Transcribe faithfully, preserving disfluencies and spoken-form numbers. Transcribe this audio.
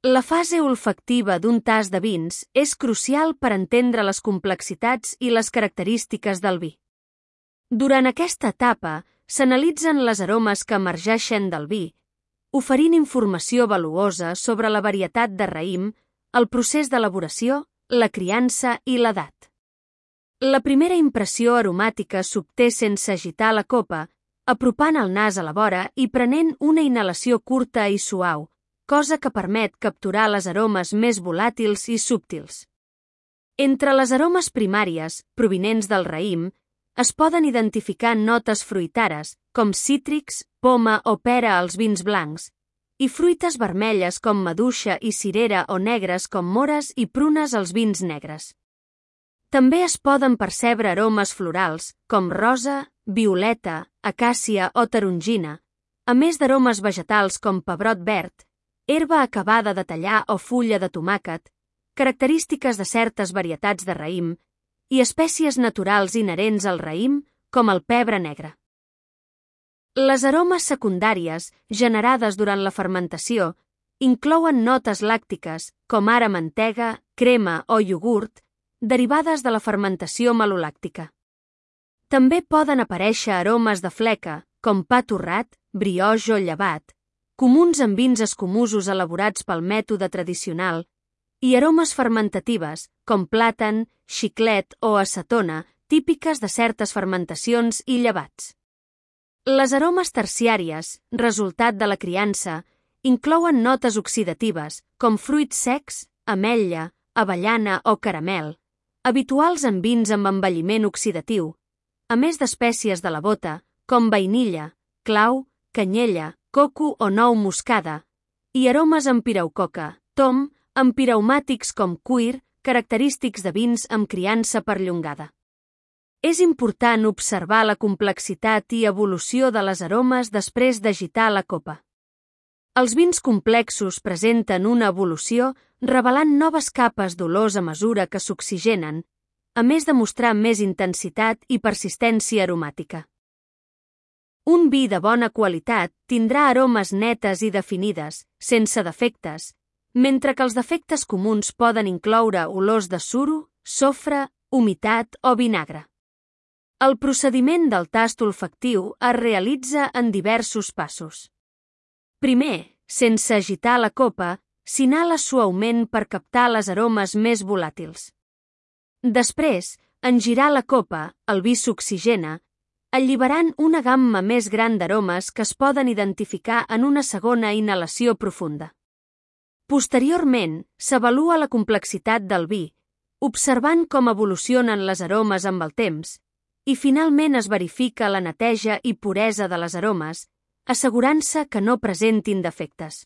La fase olfactiva d'un tast de vins és crucial per entendre les complexitats i les característiques del vi. Durant aquesta etapa, s'analitzen les aromes que emergeixen del vi, oferint informació valuosa sobre la varietat de raïm, el procés d'elaboració, la criança i l'edat. La primera impressió aromàtica s'obté sense agitar la copa, apropant el nas a la vora i prenent una inhalació curta i suau, cosa que permet capturar les aromes més volàtils i súbtils. Entre les aromes primàries, provinents del raïm, es poden identificar notes fruitares, com cítrics, poma o pera als vins blancs, i fruites vermelles com maduixa i cirera o negres com mores i prunes als vins negres. També es poden percebre aromes florals, com rosa, violeta, acàcia o tarongina, a més d'aromes vegetals com pebrot verd, herba acabada de tallar o fulla de tomàquet, característiques de certes varietats de raïm, i espècies naturals inherents al raïm, com el pebre negre. Les aromes secundàries, generades durant la fermentació, inclouen notes làctiques, com ara mantega, crema o iogurt, derivades de la fermentació malolàctica. També poden aparèixer aromes de fleca, com pa torrat, brioix o llevat, comuns en vins escumosos elaborats pel mètode tradicional, i aromes fermentatives, com plàtan, xiclet o acetona, típiques de certes fermentacions i llevats. Les aromes terciàries, resultat de la criança, inclouen notes oxidatives, com fruits secs, ametlla, avellana o caramel, habituals en vins amb envelliment oxidatiu, a més d'espècies de la bota, com vainilla, clau, canyella, coco o nou moscada, i aromes amb piraucoca, tom, amb piraumàtics com cuir, característics de vins amb criança perllongada. És important observar la complexitat i evolució de les aromes després d'agitar la copa. Els vins complexos presenten una evolució revelant noves capes d'olors a mesura que s'oxigenen, a més de mostrar més intensitat i persistència aromàtica. Un vi de bona qualitat tindrà aromes netes i definides, sense defectes, mentre que els defectes comuns poden incloure olors de suro, sofre, humitat o vinagre. El procediment del tast olfactiu es realitza en diversos passos. Primer, sense agitar la copa, s'inhala suaument per captar les aromes més volàtils. Després, en girar la copa, el vi s'oxigena, alliberant una gamma més gran d'aromes que es poden identificar en una segona inhalació profunda. Posteriorment, s'avalua la complexitat del vi, observant com evolucionen les aromes amb el temps, i finalment es verifica la neteja i puresa de les aromes, assegurant-se que no presentin defectes.